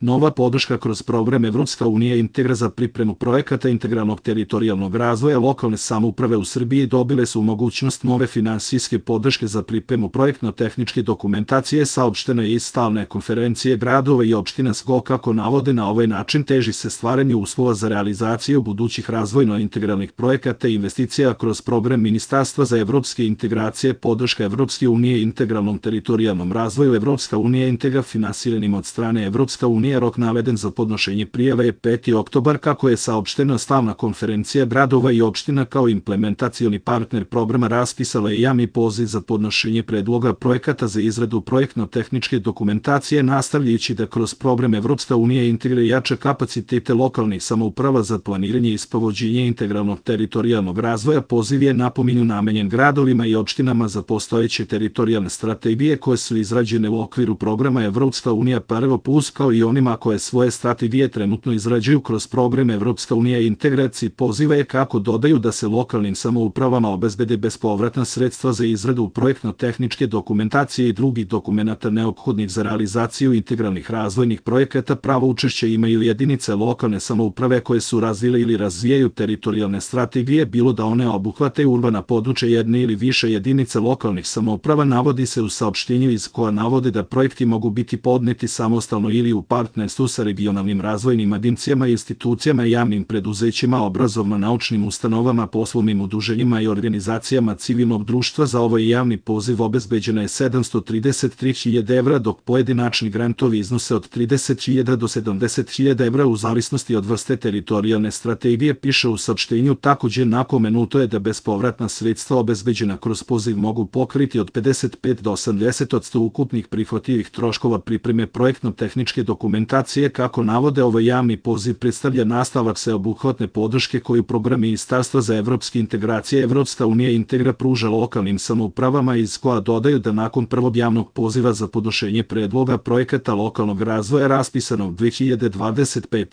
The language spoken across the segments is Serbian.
Nova podrška kroz program Evropska unija Integra za pripremu projekata integralnog teritorijalnog razvoja lokalne samouprave u Srbiji dobile su mogućnost nove finansijske podrške za pripremu projektno-tehničke dokumentacije, saopšteno je iz stalne konferencije gradova i opština SGO. Kako navode, na ovaj način teži se stvaranju uslova za realizaciju budućih razvojno-integralnih projekata i investicija kroz program Ministarstva za evropske integracije, podrška Evropske unije integralnom teritorijalnom razvoju. Evropska unija Integra finansiranim od strane Evropska unija. Rok naveden za podnošenje prijave je 5. oktobar. Kako je saopštena, stalna konferencija gradova i opština kao implementacioni partner programa raspisala je javni poziv za podnošenje predloga projekata za izradu projektno-tehničke dokumentacije, nastavljajući da kroz program Evropska unija Integra jača kapacitete lokalnih samouprava za planiranje i sprovođenje integralnog teritorijalnog razvoja. Poziv je, napominju, namenjen gradovima i opštinama za postojeće teritorijalne strategije koje su izrađene u okviru programa Evropska unija Prvo plus, kao i onima koje svoje strategije trenutno izrađuju kroz program Evropska unija integraciji. Poziva je, kako dodaju, da se lokalnim samoupravama obezbede bespovratna sredstva za izradu projektno-tehničke dokumentacije i drugih dokumenata neophodnih za realizaciju integralnih razvojnih projekata. Pravo učešće imaju jedinice lokalne samouprave koje su razvile ili razvijaju teritorijalne strategije, bilo da one obuhvate urbana područja jedne ili više jedinica lokalnih samouprava. Navodi se u saopštenju iz koja navode da projekti mogu biti podneti samostalno ili u partnerstvu sa regionalnim razvojnim agencijama, institucijama, javnim preduzećima, obrazovno-naučnim ustanovama, poslovnim udruženjima i organizacijama civilnog društva. Za ovaj javni poziv obezbeđena je 733.000 evra, dok pojedinačni grantovi iznose od 30.000 do 70.000 evra u zavisnosti od vrste teritorijalne strategije, piše u saopštenju. Takođe, napomenuto je da bespovratna sredstva obezbeđena kroz poziv mogu pokriti od 55 do 80% ukupnih prihvatljivih troškova pripreme projektno-tehničke dokumentacije. Kako navode, ovaj javni poziv predstavlja nastavak sveobuhvatne podrške koju program Ministarstva za evropske integracije Evropska unija Integra pruža lokalnim samoupravama, iz koja dodaju da nakon prvog javnog poziva za podnošenje predloga projekata lokalnog razvoja raspisanog 2025.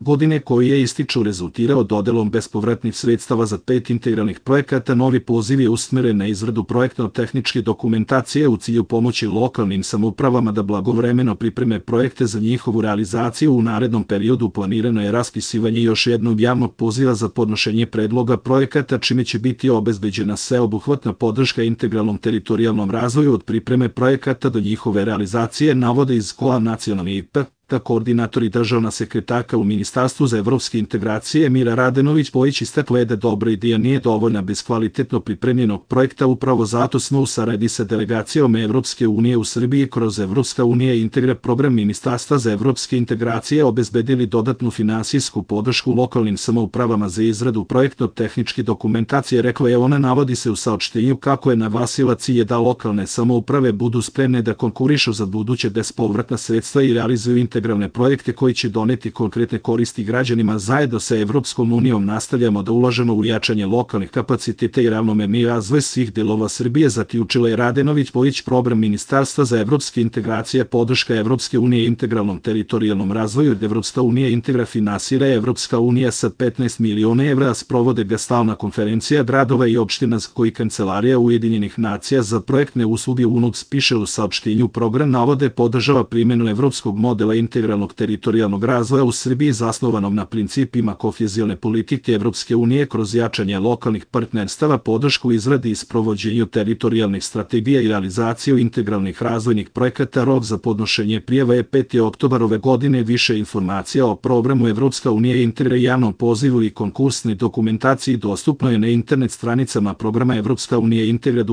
godine, koji je ističu rezultirao dodelom bespovratnih sredstava za 5 integralnih projekata, novi poziv je usmeren na izradu projektno-tehničke dokumentacije u cilju pomoći lokalnim samoupravama da blagovremeno pripreme projekte za njihovu realizaciju. U narednom periodu planirano je raspisivanje još jednog javnog poziva za podnošenje predloga projekata, čime će biti obezbeđena sveobuhvatna podrška integralnom teritorijalnom razvoju od pripreme projekata do njihove realizacije, navode iz SGO nacionalni IP. Koordinator i državna sekretarka u Ministarstvu za evropske integracije Mira Radenović-Bojić istakla je da dobra ideja nije dovoljna bez kvalitetno pripremljenog projekta. Upravo zato smo u saradnji sa delegacijom Evropske unije u Srbiji kroz Evropska unija Integra program Ministarstva za evropske integracije obezbedili dodatnu finansijsku podršku lokalnim samoupravama za izradu projektno-tehničke dokumentacije, rekla je ona. Navodi se u saopštenju kako je naglasila cilj da lokalne samouprave budu spremne da konkurišu za buduće bespovratna sredstva i realizuju integralne projekte koji će doneti konkretne koristi građanima. Zajedno sa Evropskom unijom nastavljamo da ulažemo u jačanje lokalnih kapaciteta i ravnomerni razvoj svih delova Srbije, zaključila je Radenović-Bojić. Program Ministarstva za evropske integracije podrška Evropske unije integralnom teritorijalnom razvoju. Evropska unija Integra finansira Evropska unija sa 15 miliona evra, a sprovode ga stalna konferencija gradova i opština koji Kancelarija Ujedinjenih nacija za projektne usluge UNOPS, piše u saopštenju. Program navode podržava primjenu evropskog modela integralnog teritorijalnog razvoja u Srbiji zasnovanom na principima kohezione politike Evropske unije kroz jačanje lokalnih partnerstava, podršku izradi i sprovođenju teritorijalnih strategija i realizaciju integralnih razvojnih projekata. Rok za podnošenje prijava je 5. oktobar ove godine. Više informacija o programu Evropska unija Integra, javnom pozivu i konkursnoj dokumentaciji dostupno je na internet stranicama programa Evropska unija Integra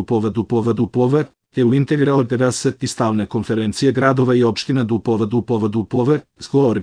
u Integra od stalne konferencije gradova i opština //.